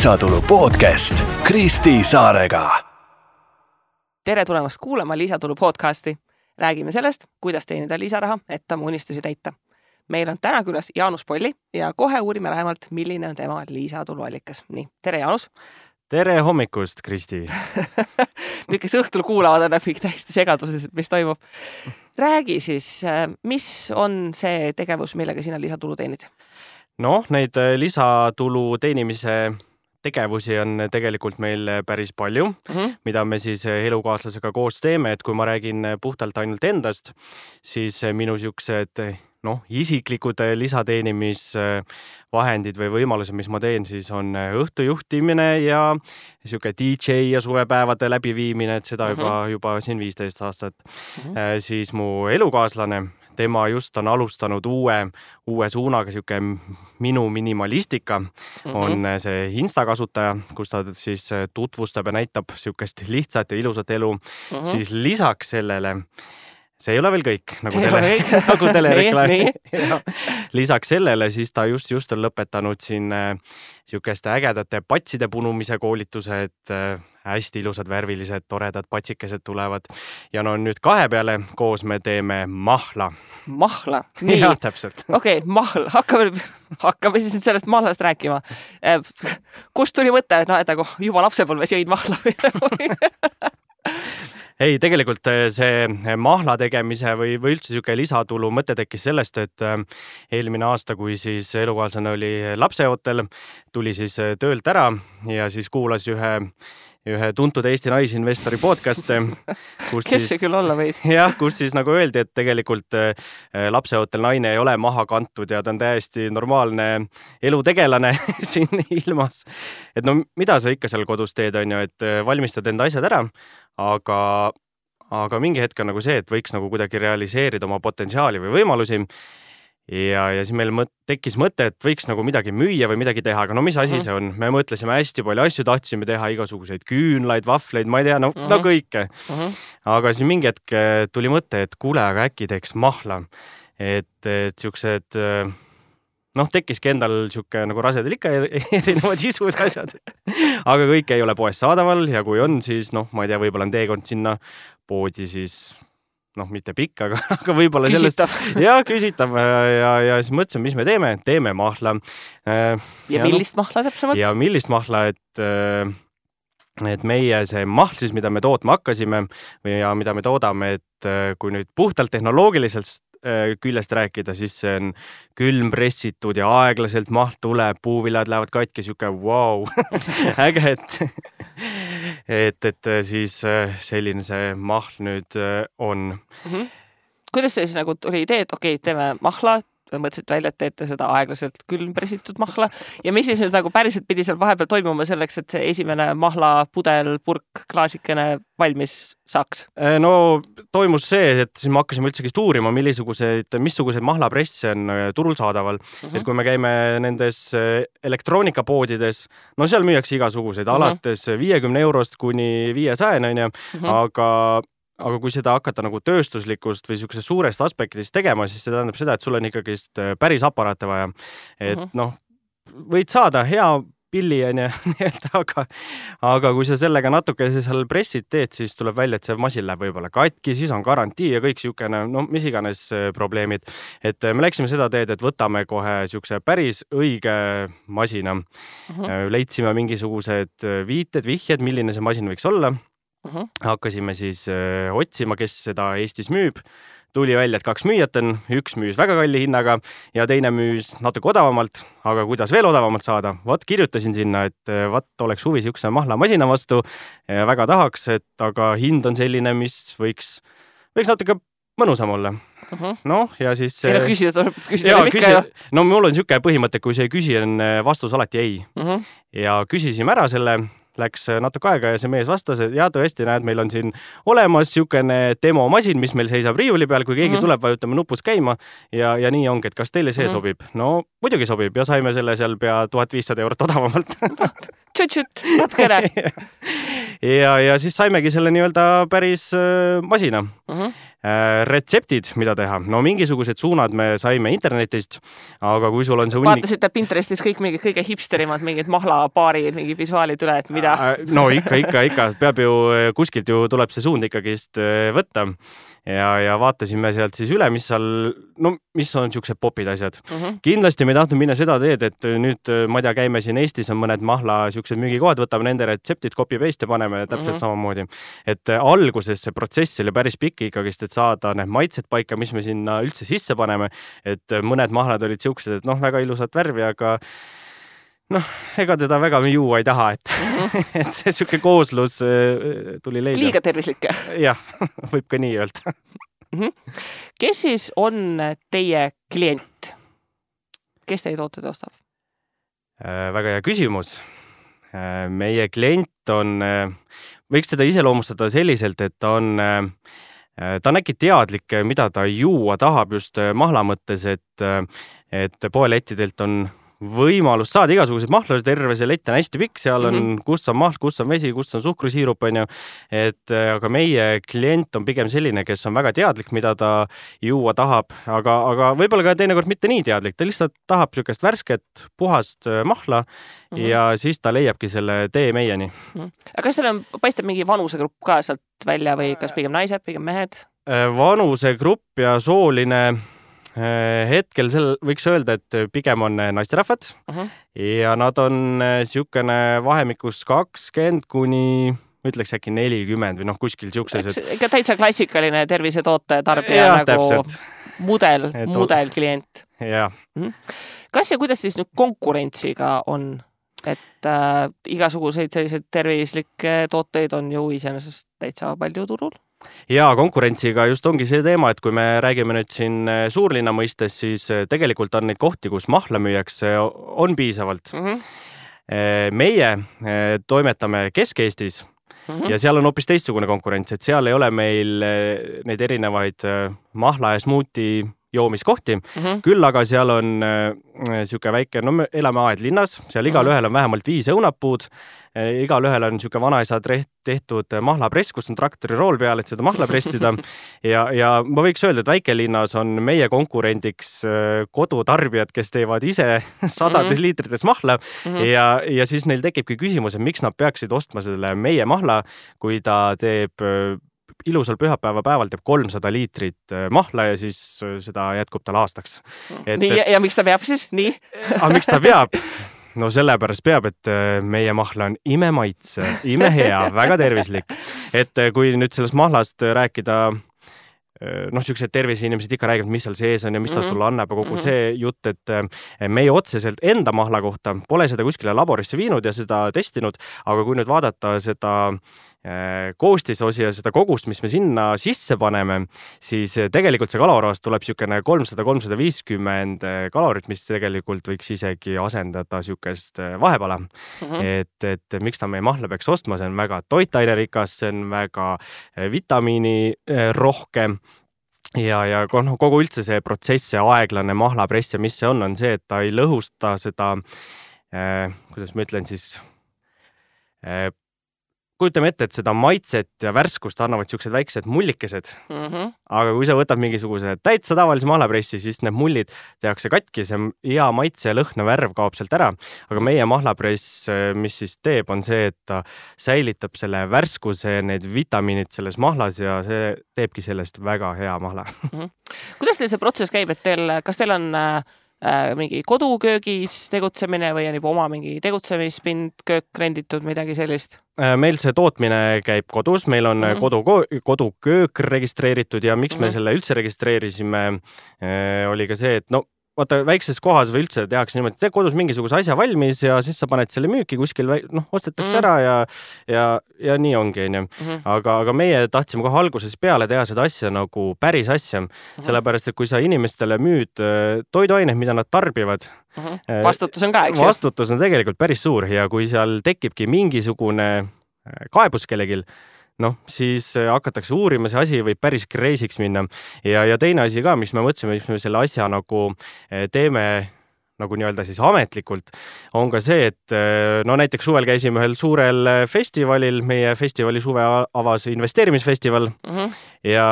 Lisatulu podcast Kristi Saarega. Tere tulemast kuulama Lisatulu podcasti. Räägime sellest, kuidas teenida lisaraha, et oma unistusi täita. Meil on täna külas Jaanus Polli ja kohe uurime lähemalt, milline on tema lisatuluallikas. Nii, tere Jaanus! Tere hommikust, Kristi! Need, kes õhtul kuulavad, on kõik täiesti segaduses, mis toimub. Räägi siis, mis on see tegevus, millega sina lisatulu teenid? Neid lisatulu teenimise tegevusi on tegelikult meil päris palju, mida me siis elukaaslasega koos teeme, et kui ma räägin puhtalt ainult endast, siis minu siuksed isiklikud lisateenimisvahendid või võimalused, mis ma teen, siis on õhtujuhtimine ja siuke DJ ja suvepäevade läbiviimine, et seda juba siin 15 aastat. Siis mu elukaaslane, tema just on alustanud uue suunaga, siuke minu minimalistika, on see Insta kasutaja, kus ta siis tutvustab ja näitab siukest lihtsat ja ilusat elu. Siis lisaks sellele, see ei ole veel kõik, nagu telereklaami. Lisaks sellele siis ta just on lõpetanud siin siukeste ägedate patside punumise koolituse, et hästi ilusad, värvilised, toredad patsikesed tulevad. Ja nüüd 2 peale koos me teeme mahla. Mahla? Nii. Ja, täpselt. Okei, mahla. Hakkame siis sellest mahlast rääkima. Kust tuli mõte, et juba lapsepõlves jõid mahla? Ei, tegelikult see mahla tegemise või üldse siuke lisatulu mõte tekkis sellest, et eelmine aasta, kui siis elukaaslane oli lapseootel, tuli siis töölt ära ja siis kuulas ühe tuntud Eesti naisinvestori podcaste. Kes see küll olla võis? Jah, kus siis nagu öeldi, et tegelikult lapseootel naine ei ole maha kantud ja ta on täiesti normaalne elutegelane siin ilmas. Et mida sa ikka seal kodus teed, on ju, et valmistad enda asjad ära, aga mingi hetk on nagu see, et võiks nagu kuidagi realiseerida oma potentsiaali või võimalusi. Ja siis meil tekkis mõte, et võiks nagu midagi müüa või midagi teha, aga mis asi see on? Me mõtlesime hästi palju asju, tahtsime teha igasuguseid küünlaid, vahvleid, ma ei tea, kõike. Aga siis mingi hetk tuli mõte, et kuule, aga äkki teeks mahla. Et siuksed, tekkiski endal siuke nagu rasedel ikka erinevad isud asjad. Aga kõik ei ole poes saadaval ja kui on, siis ma ei tea, võib-olla on teekond sinna poodi siis mitte pikk, aga võib-olla sellest... Küsitav. Ja siis mõtlesin, mis me teeme? Teeme mahla. Ja millist mahla täpsemalt? Ja millist mahla, et meie see mahl siis, mida me tootma hakkasime ja mida me toodame, et kui nüüd puhtalt tehnoloogiliselt küljest rääkida, siis see on külmpressitud ja aeglaselt mahl tuleb, puuviljad lähevad katki, siuke wow, äge, et siis selline see mahl nüüd on. Kuidas see siis nagu tuli idee, et okei, teeme mahla, mõtlesid välja, et teete seda aeglaselt külmpressitud mahla ja mis siis nüüd nagu päriselt pidi seal vahepeal toimuma selleks, et see esimene mahla pudel, purk, klaasikene valmis saaks? Toimus see, et siis me hakkasime üldsegi uurima, missuguseid mahlapresse on turul saadaval. Et kui me käime nendes elektroonikapoodides, seal müüakse igasuguseid alates 50 eurost kuni 500, aga kui seda hakata nagu tööstuslikust või siuksest suurest aspektist tegema, siis see tähendab seda, et sul on ikkagi päris aparaate vaja. Et võid saada hea pilli, aga kui sa sellega natuke seal pressid teed, siis tuleb välja, et see masin läheb võib-olla katki, siis on garantii ja kõik siukene, mis iganes probleemid. Et me läksime seda teed, et võtame kohe siukse päris õige masina. Leidsime mingisugused vihjed, milline see masin võiks olla. Hakkasime siis otsima, kes seda Eestis müüb. Tuli välja, et 2 müüjat on, üks müüs väga kalli hinnaga ja teine müüs natuke odavamalt, aga kuidas veel odavamalt saada? Kirjutasin sinna, et oleks huvi siukse mahlamasina vastu ja väga tahaks, aga hind on selline, mis võiks natuke mõnusam olla. Ja siis... mul on siuke põhimõte, kui see ei küsi, on vastus alati ei. Ja küsisime ära selle... Läks natuke aega ja see mees vastas, et tõesti näed, meil on siin olemas siukene demomasin, mis meil seisab riiuli peal, kui keegi tuleb, vajutame nupus käima ja nii ongi, et kas teile see sobib? Muidugi sobib ja saime selle seal pea 1500 eurot odavamalt. Tšut-tšut, natkene. Ja siis saimegi selle nii-öelda päris masina. Retseptid, mida teha. No mingisugused suunad me saime internetist, aga kui sul on see Vaatasite Pinterestis kõik mingid kõige hipsterimad, mingid mahlapaari, mingid visuaalid üle, et mida? No ikka. Peab ju, kuskilt ju tuleb see suund ikkagist võtta. Ja vaatasime sealt siis üle, mis on siuksed popid asjad. Kindlasti me tahtnud minna seda teed, et nüüd, ma tea, käime siin Eestis on mõned mahla siuksed müügikohad, võtame nende retseptid, copy-paste ja paneme täpselt samamoodi. Et alguses see protsess oli päris pikk ikkagist, et saada need maitsed paika, mis me sinna üldse sisse paneme. Et mõned mahlad olid siuksed, et väga ilusat värvi, aga ega teda väga juua ei taha, et see siuke kooslus tuli leida. Liiga tervislik. Jah, võib ka nii öelda. Kes siis on teie klient? Kes teie tooted ostab? Väga hea küsimus. Meie klient on, võiks teda iseloomustada selliselt, et ta on äkki teadlik, mida ta juua tahab just mahla mõttes, et poelettidelt on võimalus saada igasuguseid mahlasid, terve see lett on hästi pikk, seal on kus on mahl, kus on vesi, kus on suhkrusiirup, on ju. Aga meie klient on pigem selline, kes on väga teadlik, mida ta juua tahab, aga võib-olla ka teinekord mitte nii teadlik, ta lihtsalt tahab siukest värsket, puhast mahla ja siis ta leiabki selle tee meieni. Aga kas teil paistab mingi vanusegrupp ka sealt välja või kas pigem naised, pigem mehed? Vanusegrupp ja sooline hetkel võiks öelda, et pigem on naisterahvad ja nad on siukene vahemikus 20 kuni ütleks äkki 40 või kuskil siukses. Ikka täitsa klassikaline tervisetoote tarbija mudelklient. Ja. Kas ja kuidas siis nüüd konkurentsiga on? Et igasuguseid selliseid tervislikke tooteid on ju iseenesest täitsa palju turul? Ja konkurentsiga just ongi see teema, et kui me räägime nüüd siin suurlinna mõistes, siis tegelikult on neid kohti, kus mahla müüakse, on piisavalt. Meie toimetame Kesk-Eestis ja seal on hoopis teistsugune konkurents, et seal ei ole meil neid erinevaid mahla ja smuuti joomiskohti. Küll aga seal on siuke väike, me elame Aedlinnas, seal igal ühel on vähemalt 5 õunapuud, igal ühel on siuke vanaisa tehtud mahlapress, kus on traktori rool peal, et seda mahla pressida. Ja ma võiks öelda, et väikelinnas on meie konkurendiks kodutarbijad, kes teevad ise sadades liitrites mahla ja siis neil tekibki küsimus, et miks nad peaksid ostma selle meie mahla, kui ta teeb ilusal pühapäeva päeval teeb 300 liitrit mahla ja siis seda jätkub tal aastaks. Ja miks ta peab siis? Nii? Miks ta peab? No sellepärast peab, et meie mahla on imemaitse, imehea, väga tervislik. Et kui nüüd sellest mahlast rääkida, siuksed terviseinimesed ikka räägivad, mis seal sees on ja mis ta sulle annab, kogu see jutt, et meie otseselt enda mahla kohta pole seda kuskile laborisse viinud ja seda testinud, aga kui nüüd vaadata seda koostisosi ja seda kogust, mis me sinna sisse paneme, siis tegelikult see kalorahast tuleb siukene 300-350 kalorit, mis tegelikult võiks isegi asendada siukest vahepala. Et miks ta meie mahla peaks ostma, see on väga toitainerikas, see on väga vitamiini rohkem. Ja kogu üldse see protsess ja aeglane mahlapress ja mis see on see, et ta ei lõhusta seda, kuidas ma ütlen siis, kujutame ette, et seda maitset ja värskust annavad siuksed väiksed mullikesed. Aga kui sa võtad mingisuguse täitsa tavalise mahlapressi, siis need mullid tehakse katki, see hea maitse ja lõhna värv kaob sealt ära. Aga meie mahlapress, mis siis teeb, on see, et ta säilitab selle värskuse, need vitamiinid selles mahlas ja see teebki sellest väga hea mahla. Kuidas teil see protsess käib, et kas teil on mingi koduköögis tegutsemine või on juba oma mingi tegutsemispind, köök renditud, midagi sellist? Meil see tootmine käib kodus, meil on koduköök registreeritud ja miks me selle üldse registreerisime, oli ka see, et vaata, väikses kohas või üldse tehakse niimoodi, et tee kodus mingisuguse asja valmis ja siis sa paned selle müüki kuskil, ostetakse ära ja nii ongi. Aga meie tahtsime kohe alguses peale teha seda asja nagu päris asja, sellepärast, et kui sa inimestele müüd toiduaineid, mida nad tarbivad, vastutus on ka, eks? Vastutus on tegelikult päris suur ja kui seal tekibki mingisugune kaebus kellegil, siis hakatakse uurima, see asi võib päris kreisiks minna. Ja teine asi ka, mis me mõtlesime, mis me selle asja nagu teeme nagu nii-öelda siis ametlikult, on ka see, et näiteks suvel käisime ühel suurel festivalil, meie festivali suve avas investeerimisfestival ja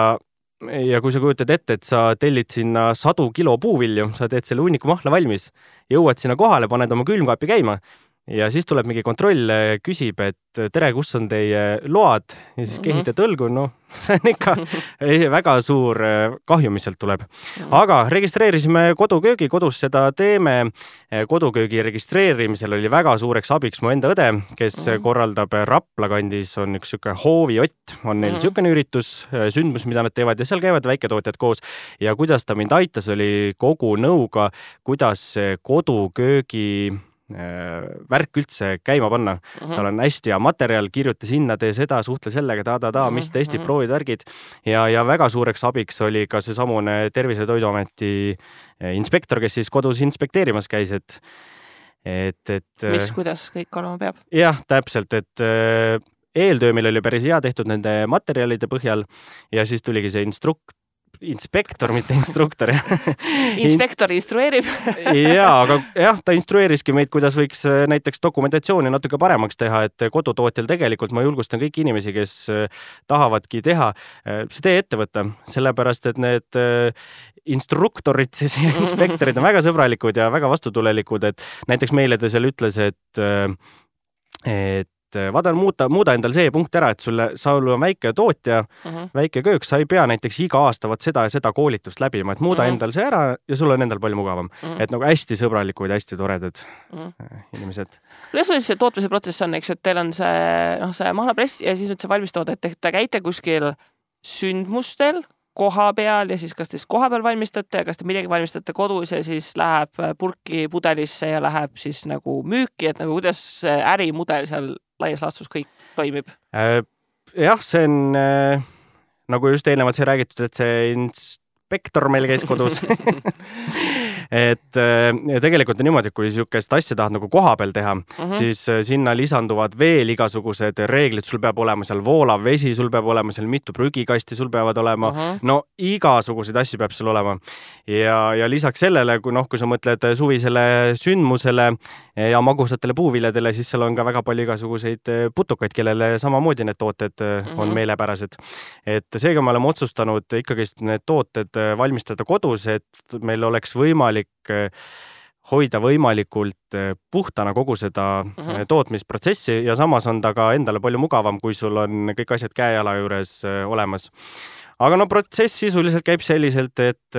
ja kui sa kujutad ette, et sa tellid sinna 100 kilo puuvilju, sa teed selle hunniku mahla valmis, jõuad sinna kohale, paned oma külmkaapi käima ja siis tuleb mingi kontroll, küsib, et tere, kus on teie load ja siis kehitad õlgu, no see on ikka väga suur kahju, mis sealt tuleb. Aga registreerisime koduköögi, kodus seda teeme. Koduköögi registreerimisel oli väga suureks abiks mu enda õde, kes korraldab Rapla kandis, on üks siuke hooviott, on neil siukene üritus, sündmus, mida nad teevad ja seal käivad väiketootjad koos ja kuidas ta mind aitas, oli kogu nõuga, kuidas koduköögi värk üldse käima panna. Tal on hästi hea materjal, kirjuta sinna, tee seda, suhtle sellega, mis testid, proovid, värgid. Ja väga suureks abiks oli ka see samune Tervise- ja Toiduameti inspektor, kes siis kodus inspekteerimas käis, mis, kuidas kõik olema peab? Jah, täpselt, et eeltöö meil oli päris hea tehtud nende materjalide põhjal ja siis tuligi see inspektor, mitte instruktor. Inspektor instrueerib. aga jah, ta instrueeriski meid, kuidas võiks näiteks dokumentatsiooni natuke paremaks teha, et kodutootjal tegelikult ma julgustan kõiki inimesi, kes tahavadki teha, see tee ette võtta, sellepärast, et need instruktorid siis ja inspektorid on väga sõbralikud ja väga vastutulelikud, et näiteks meile ta seal ütles, et vaata, muuda endal see punkt ära, et sa on väike tootja, väike köök, sa ei pea näiteks iga aasta seda ja seda koolitust läbima, et muuda endal see ära ja sul on endal palju mugavam. Et nagu hästi sõbralikud, hästi toredad inimesed. Kuidas see tootmise protsess on, eks, et teil on see mahlapress ja siis nüüd see valmistood, et te käite kuskil sündmustel koha peal ja siis kas te koha peal valmistate ja kas te midagi valmistate kodus ja siis läheb purki pudelisse ja läheb siis nagu müüki, et nagu kuidas ärimudel seal laias laastus kõik toimib? Jah, see on nagu just eelnevalt sai räägitud, et see inspektor meil käis kodus. Et tegelikult on niimoodi, et kui niisugust asja tahad nagu koha peal teha, siis sinna lisanduvad veel igasugused reeglid, sul peab olema seal voolav vesi, sul peab olema seal mitu prügikasti, sul peavad olema, no igasuguseid asju peab sul olema. Ja lisaks sellele, kui sa mõtled suvisele sündmusele ja magusatele puuviljadele, siis seal on ka väga palju igasuguseid putukaid, kellele samamoodi need tooted on meelepärased. Et seega me oleme otsustanud ikkagi need tooted valmistada kodus, et meil oleks võimalik hoida võimalikult puhtana kogu seda tootmisprotsessi ja samas on ta ka endale palju mugavam, kui sul on kõik asjad käejala juures olemas. Aga protsess sisuliselt käib selliselt, et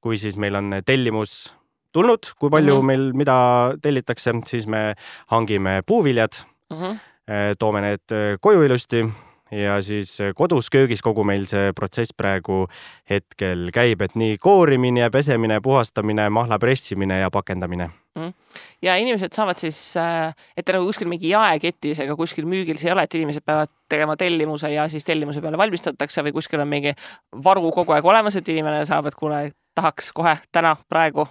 kui siis meil on tellimus tulnud, kui palju meil mida tellitakse, siis me hangime puuviljad, toome need koju ilusti ja siis kodus köögis kogu meil see protsess praegu hetkel käib, et nii koorimine ja pesemine, puhastamine, mahla pressimine ja pakendamine. Ja inimesed saavad siis, et nagu kuskil mingi jaeketis ega kuskil müügil see ei ole, et inimesed peavad tegema tellimuse ja siis tellimuse peale valmistatakse või kuskil on mingi varu kogu aeg olemas, et inimene saab, et kuule, tahaks kohe täna, praegu?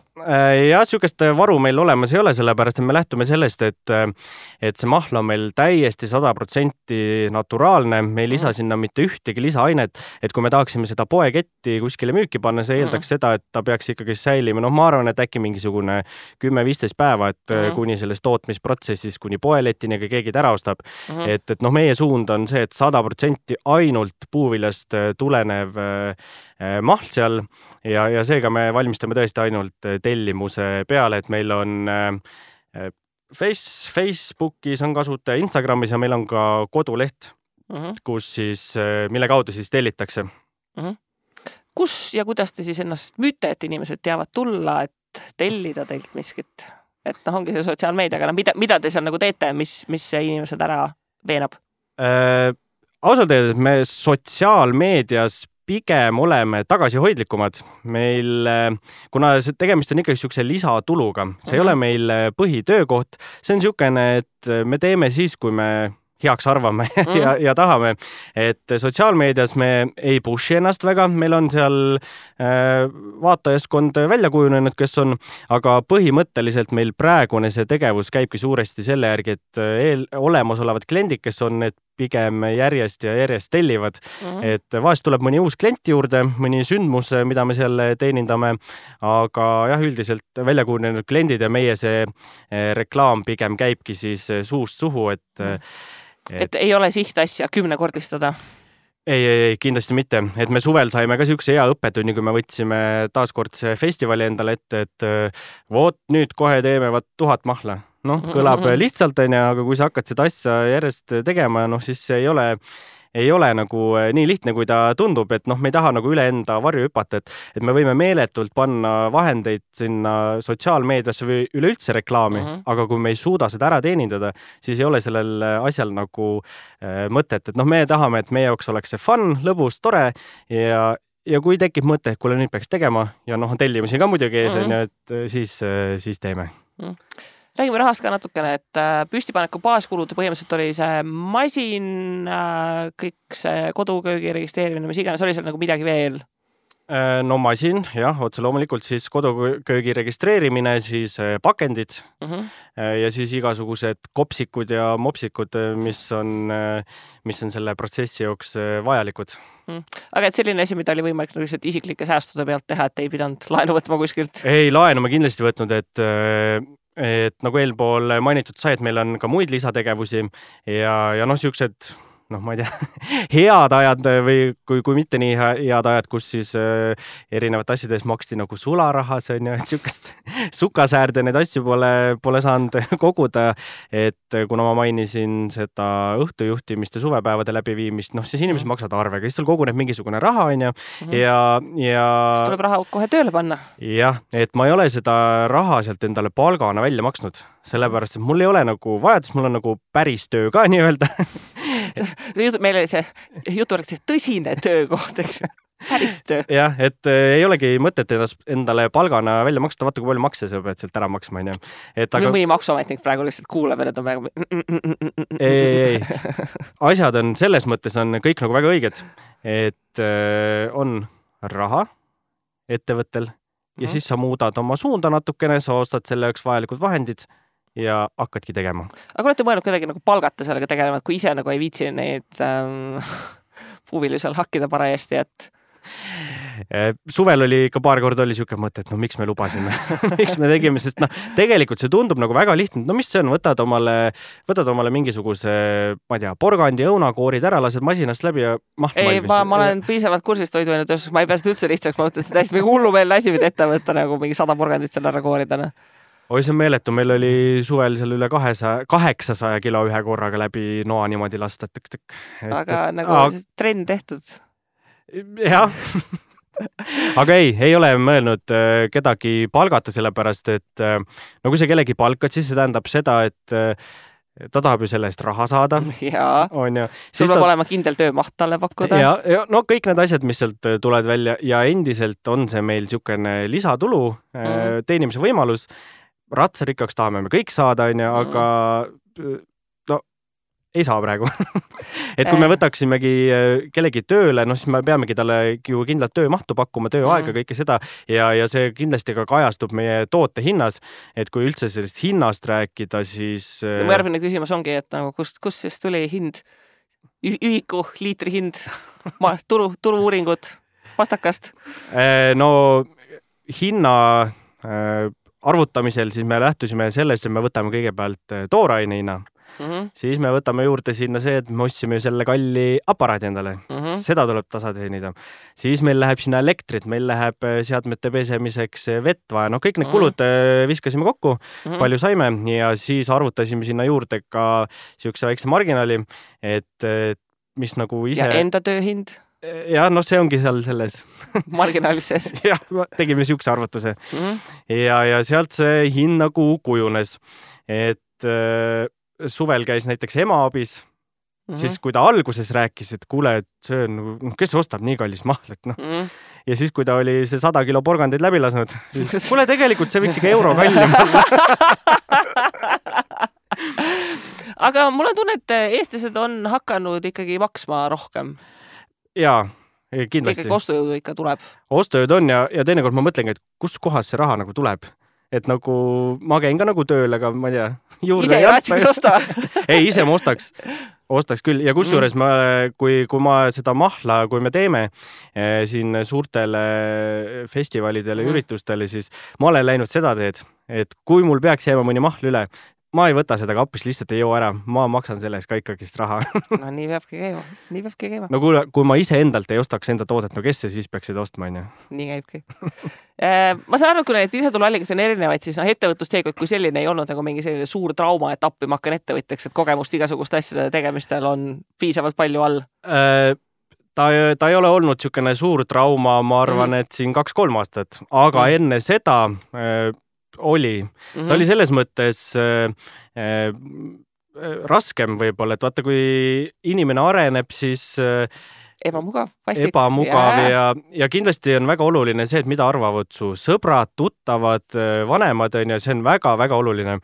Ja niisugust varu meil olemas ei ole, sellepärast et me lähtume sellest, et see mahla on meil täiesti 100% naturaalne, me ei lisa sinna mitte ühtegi lisaainet, et kui me tahaksime seda poeketti kuskile müüki panna, see eeldaks seda, et ta peaks ikkagi säilima. Ma arvan, et äkki mingisugune 10-15 päeva, et kuni selles tootmisprotsessis, kuni poeletini keegi ära ostab. Et meie suund on see, et 100% ainult puuviljast tulenev mahl seal ja seega me valmistame tõesti ainult tellimuse peale, et meil on Facebookis on kasutaja, Instagramis ja meil on ka koduleht, kus siis, mille kaudu siis tellitakse. Kus ja kuidas te siis ennast müüte, et inimesed teavad tulla, et tellida teilt miskit? Et ongi see sotsiaalmeediaga, mida te seal nagu teete, mis see inimesed ära veenab? Ausalt öeldes me sotsiaalmeedias pigem oleme tagasihoidlikumad. Meil, kuna tegemist on ikkagi niisuguse lisatuluga, see ei ole meil põhitöökoht, see on niisugune, et me teeme siis, kui me heaks arvame ja tahame, et sotsiaalmeedias me ei pushi ennast väga, meil on seal vaatajaskond välja kujunenud, kes on, aga põhimõtteliselt meil praegune see tegevus käibki suuresti selle järgi, et olemasolevad kliendid, kes on need pigem järjest ja järjest tellivad, et vahest tuleb mõni uus klient juurde, mõni sündmus, mida me seal teenindame, aga jah, üldiselt välja kujunenud kliendid ja meie see reklaam pigem käibki siis suust suhu, et ei ole sihtasja 10-kordistada? ei, kindlasti mitte, et me suvel saime ka siukse hea õppetunni, kui me võtsime taaskord see festivali endale ette, et voot nüüd kohe teeme 1000 mahla. Noh, kõlab lihtsalt, aga kui sa hakkad seda asja järjest tegema, siis see ei ole nagu nii lihtne, kui ta tundub, et me ei taha nagu üle enda varju hüpata, et me võime meeletult panna vahendeid sinna sotsiaalmeediasse või üleüldse reklaami, aga kui me ei suuda seda ära teenindada, siis ei ole sellel asjal nagu mõtet, et me tahame, et meie jaoks oleks see fun, lõbus, tore ja kui tekib mõte, et kuule nüüd peaks tegema ja tellimusi ka muidugi ees, et siis teeme. Räägime rahast ka natukene, et püstipaneku baaskulud põhimõtteliselt oli see masin, kõik see koduköögi registreerimine, mis iganes, oli seal nagu midagi veel? No masin, jah, otse loomulikult siis koduköögi registreerimine, siis pakendid ja siis igasugused kopsikud ja mopsikud, mis on selle protsessi jooks vajalikud. Aga et selline asi, mida oli võimalik lihtsalt isiklike säästude pealt teha, et ei pidanud laenu võtma kuskilt? Ei, laenu ma kindlasti võtnud, et nagu eelpool mainitud sai, et meil on ka muid lisategevusi ja siuksed, ma ei tea, head ajad või kui mitte nii head ajad, kus siis erinevate asjades maksti nagu sularahas, et siukest sukasäärde neid asju pole saanud koguda, et kuna ma mainisin seda õhtujuhtimist ja suvepäevade läbiviimist, siis inimesed maksavad arvega, siis sul koguneb mingisugune raha, ja siis tuleb raha kohe tööle panna. Jah, et ma ei ole seda raha sealt endale palgana välja maksnud, sellepärast, et mul ei ole nagu vajadus, mul on nagu päris töö ka nii-öelda. Meil oli see jutuvärk tõsine töökoht, eks? Päris töö. Jah, et ei olegi mõtet endale palgana välja maksta, vaata kui palju makse sa pead sealt ära maksma. Mõni maksuametnik praegu lihtsalt kuuleb, et on praegu... Ei. Asjad on selles mõttes on kõik nagu väga õiged, et on raha ettevõttel ja siis sa muudad oma suunda natukene, sa ostad selle jaoks vajalikud vahendid ja hakkadki tegema. Aga olete mõelnud kuidagi nagu palgata sellega tegelema, et kui ise nagu ei viitsi neid puuvili seal hakkida parajasti, et... Suvel oli ka paar korda oli siuke mõte, et miks me lubasime, miks me tegime, sest tegelikult see tundub nagu väga lihtne, mis see on, võtad omale mingisuguse, ma ei tea, porgandi, õunakoorid ära, lased masinast läbi ja maht valmis. Ei, ma olen piisavalt kursist toiduainetööstus, ma ei pea seda üldse lihtsaks, ma mõtlen, et hästi mingi hullumeelne asi võid ette võtta nagu mingi 100 porgandit seal ära kooridana. Oi, see on meeletu, meil oli suvel seal üle 800 kilo ühe korraga läbi noa niimoodi lasta. Aga nagu trenn tehtud. Jah. Aga ei ole mõelnud kedagi palgata sellepärast, et kui sa kellegi palkad, siis see tähendab seda, et ta tahab ju selle eest raha saada. Jaa, sul peab olema kindel töömaht talle pakkuda. Ja kõik need asjad, mis sealt tulevad välja ja endiselt on see meil siukene lisatulu, teenimise võimalus. Ratsarikkaks tahame me kõik saada, aga ei saa praegu. Et kui me võtaksimegi kellegi tööle, siis me peamegi talle ju kindlalt töömahtu pakkuma, tööaega, kõike seda ja see kindlasti ka kajastub meie toote hinnas, et kui üldse sellest hinnast rääkida, siis... Mu järgmine küsimus ongi, et nagu kust siis tuli hind, ühiku, liitri hind, turu-uuringud, pastakast? No hinna arvutamisel siis me lähtusime sellest, et me võtame kõigepealt tooraine hinna. Siis me võtame juurde sinna see, et me ostsime selle kalli aparaadi endale. Seda tuleb tasa teenida. Siis meil läheb sinna elektrit, meil läheb seadmete pesemiseks vett vaja. Kõik need kulud viskasime kokku, palju saime ja siis arvutasime sinna juurde ka siukse väikse marginaali, et mis nagu ise... Ja enda tööhind? Ja see ongi seal selles marginaalis sees. Jah, tegime siukse arvutuse. Ja sealt see hind nagu kujunes, et suvel käis näiteks ema abis, siis kui ta alguses rääkis, et kuule, et see on, kes ostab nii kallis mahlet, Ja siis, kui ta oli see 100 kilo porgandeid läbi lasnud, siis kuule, tegelikult see võiks ikka euro kallim olla. Aga mul on tunne, et eestlased on hakanud ikkagi maksma rohkem. Jaa, kindlasti. Kõik ostujõudu ikka tuleb. Ostujõud on ja teinekord ma mõtlengi, et kus kohas see raha nagu tuleb. Et nagu ma käin ka nagu tööl, aga ma ei tea. Ise ei raatsiks osta? Ei, ise ma ostaks küll. Ja kusjuures kui ma seda mahla, kui me teeme siin suurtele festivalidele, üritustele, siis ma olen läinud seda teed, et kui mul peaks jääma mõni mahl üle, ma ei võta seda kapist, lihtsalt ei joo ära, ma maksan selle eest ka ikkagist raha. No nii peabki käima. No kui ma ise endalt ei ostaks enda toodet, no kes see siis peaks seda ostma, on ju? Nii käibki. Ma saan aru, kui need lisatuluallikas on erinevaid, siis ettevõtlusteekond kui selline ei olnud nagu mingi selline suur trauma, et appi ma hakkan ettevõtjaks, et kogemust igasuguste asjade tegemistel on piisavalt palju all. Ta ei ole olnud niisugune suur trauma, ma arvan, et siin 2-3 aastat, aga enne seda oli. Ta oli selles mõttes raskem võib-olla, et vaata, kui inimene areneb, siis ebamugav ja kindlasti on väga oluline see, et mida arvavad su sõbrad, tuttavad, vanemad, on, ja see on väga-väga oluline.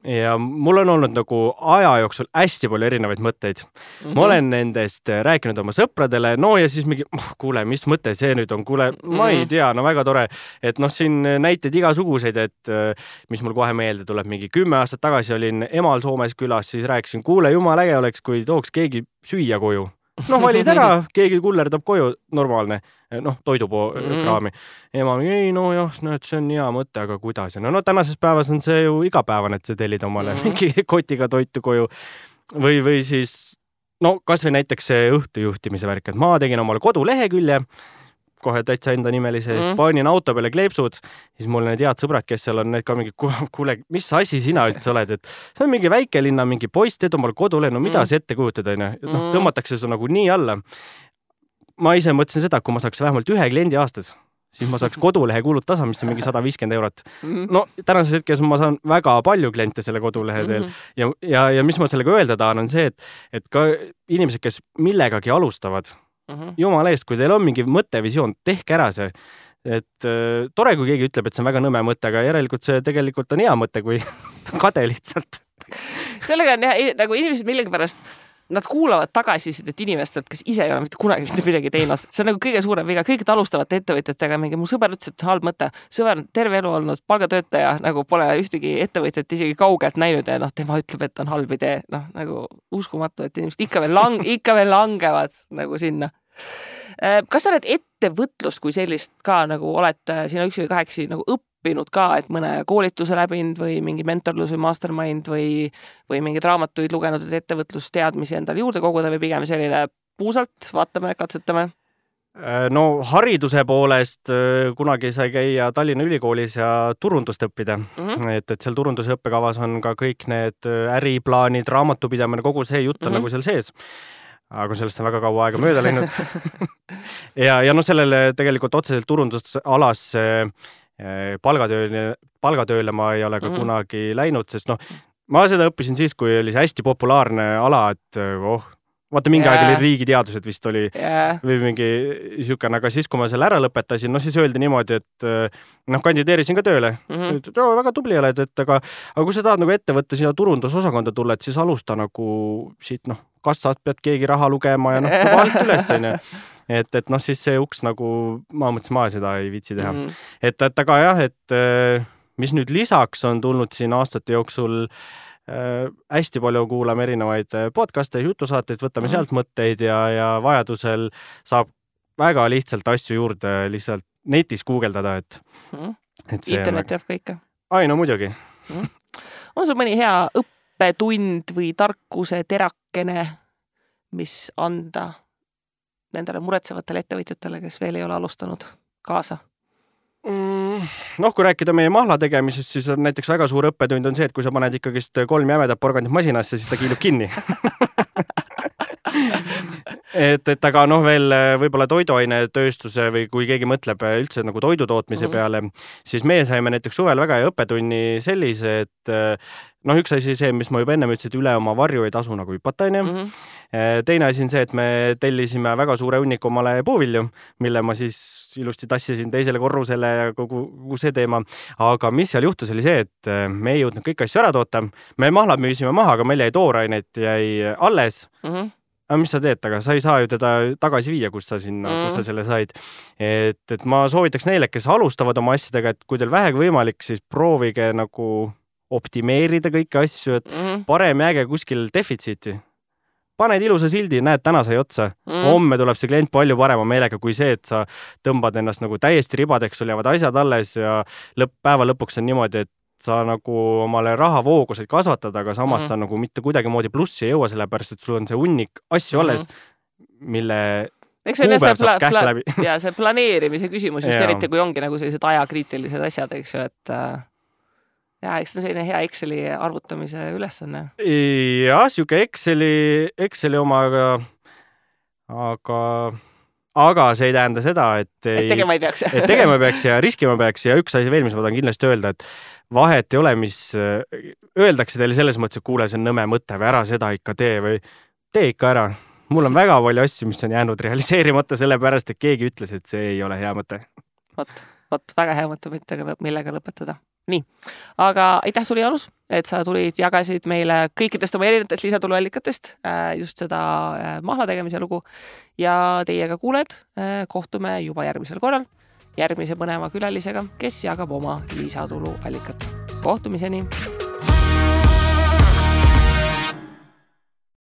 Ja mul on olnud nagu aja jooksul hästi palju erinevaid mõtteid. Ma olen nendest rääkinud oma sõpradele, no ja siis mingi, kuule, mis mõte see nüüd on, kuule, ma ei tea, no väga tore, et siin näiteid igasuguseid, et mis mul kohe meelde tuleb, mingi 10 aastat tagasi olin emal Soomes külas, siis rääkisin, kuule, jumal äge oleks, kui tooks keegi süüa koju. Valid ära, keegi kullerdab koju, normaalne, toidukraami. Ema, ei, see on hea mõte, aga kuidas? No tänases päevas on see ju igapäevane, et sa tellid omale mingi kotiga toitu koju. Või siis, kas või näiteks see õhtujuhtimise värk, et ma tegin omale kodulehekülje, kohe täitsa enda nimelise, panin auto peale kleepsud, siis mul need head sõbrad, kes seal on, need ka mingi, kuule, mis asi sina üldse oled, et see on mingi väikelinna, mingi poiss, teed omal kodule, no mida see ette kujutada, tõmmatakse su nagu nii alla. Ma ise mõtlesin seda, kui ma saaks vähemalt 1 kliendi aastas, siis ma saaks kodulehe kulud tasa, mis on mingi 150 €. No tänases hetkes ma saan väga palju kliente selle kodulehe teel ja mis ma sellega öelda tahan, on see, et ka inimesed, kes millegagi alustavad, jumal eest, kui teil on mingi mõttevisioon, tehke ära see. Et tore, kui keegi ütleb, et see on väga nõme mõte, aga järelikult see tegelikult on hea mõte, kui kade lihtsalt. Sellega on nagu inimesed millegipärast, nad kuulavad tagasisidet inimestelt, kes ise ei ole mitte kunagi midagi teinud. See on nagu kõige suurem viga. Kõigid alustavate ettevõtjatega mingi mu sõber ütles, et halb mõte. Sõber on terve elu olnud palgatöötaja, nagu pole ühtegi ettevõtjat isegi kaugelt näinud ja tema ütleb, et on halb idee. Nagu uskumatu, et inimesed ikka veel langevad nagu sinna. Kas sa oled ettevõtlust kui sellist ka nagu oled sina 1 või 8 nagu õppinud ka, et mõne koolituse läbinud või mingi mentorlus või mastermind või mingid raamatuid lugenud, et ettevõtlusteadmisi endale juurde koguda või pigem selline puusalt, vaatame, katsetame? No hariduse poolest kunagi sai käia Tallinna Ülikoolis ja turundust õppida. Et seal turunduse õppekavas on ka kõik need äriplaanid, raamatupidamine, kogu see jutt on nagu seal sees. Aga sellest on väga kaua aega mööda läinud. ja sellele tegelikult otseselt turundusalas palgatööle ma ei ole ka kunagi läinud, sest ma seda õppisin siis, kui oli see hästi populaarne ala, et vaata mingi aeg oli riigiteadused vist oli või mingi siukene, aga siis, kui ma selle ära lõpetasin, siis öeldi niimoodi, et kandideerisin ka tööle. Väga tubli oled, aga kui sa tahad nagu ettevõtte sinna turundusosakonda tulla, et siis alusta nagu siit, kassast pead keegi raha lugema ja alt üles, et siis see uks nagu, ma mõtlesin, ma seda ei viitsi teha. Et aga jah, et mis nüüd lisaks on tulnud siin aastate jooksul, hästi palju kuulame erinevaid podcaste, jutusaateid, võtame sealt mõtteid ja vajadusel saab väga lihtsalt asju juurde lihtsalt netis guugeldada, et internet jääb ka ikka. Ai, no muidugi. On sul mõni hea õppetund või tarkuse terakene, mis anda nendele muretsevatele ettevõtjatele, kes veel ei ole alustanud kaasa? Kui rääkida meie mahla tegemisest, siis on näiteks väga suur õppetund on see, et kui sa paned ikkagist 3 jämedat porgandit masinasse, siis ta kiilub kinni. et aga veel võib-olla toiduainetööstuse või kui keegi mõtleb üldse nagu toidutootmise peale, siis meie saime näiteks suvel väga hea õppetunni sellise, et üks asi see, mis ma juba enne ütlesin, et üle oma varju ei tasu nagu hüpata, Teine asi on see, et me tellisime väga suure hunniku omale puuvilju, mille ma siis ilusti tassisin teisele korrusele ja kogu see teema. Aga mis seal juhtus oli see, et me ei jõudnud kõik asju ära toota. Me mahlad müüsime maha, aga meil jäi toorainet jäi alles. Aga mis sa teed, aga sa ei saa ju teda tagasi viia, kus sa selle said. Et ma soovitaks neile, kes alustavad oma asjadega, et kui teil vähegi võimalik, siis proovige nagu optimeerida kõiki asju, et parem jääge kuskil defitsiiti. Paned ilusa sildi, näed, täna sai otsa. Homme tuleb see klient palju parema meelega kui see, et sa tõmbad ennast nagu täiesti ribadeks, sul jäävad asjad alles ja päeva lõpuks on niimoodi, et sa nagu omale rahavooguseid kasvatada, aga samas sa nagu mitte kuidagi moodi plussi ei jõua, sellepärast, et sul on see hunnik asju alles, mille kuupäev saab kähku läbi. Ja see planeerimise küsimus just eriti, kui ongi nagu sellised ajakriitilised asjad, eks ju, et eks ta selline hea Exceli arvutamise ülesanne. Jah, siuke Exceli omaga, aga see ei tähenda seda, et tegema ei peaks. Et tegema peaks ja riskima peaks ja üks asi veel, mis ma tahan kindlasti öelda, et vahet ei ole, mis öeldakse teile selles mõttes, et kuule, see on nõme mõte või ära seda ikka tee või tee ikka ära. Mul on väga palju asju, mis on jäänud realiseerimata sellepärast, et keegi ütles, et see ei ole hea mõte. Vot väga hea mõte, millega lõpetada. Nii, aga aitäh sulle, Jaanus, et sa tulid, jagasid meile kõikidest oma erinevatest lisatuluallikatest just seda mahla tegemise lugu ja teiega kuuled, kohtume juba järgmisel korral järgmise põneva külalisega, kes jagab oma lisatuluallikat. Kohtumiseni!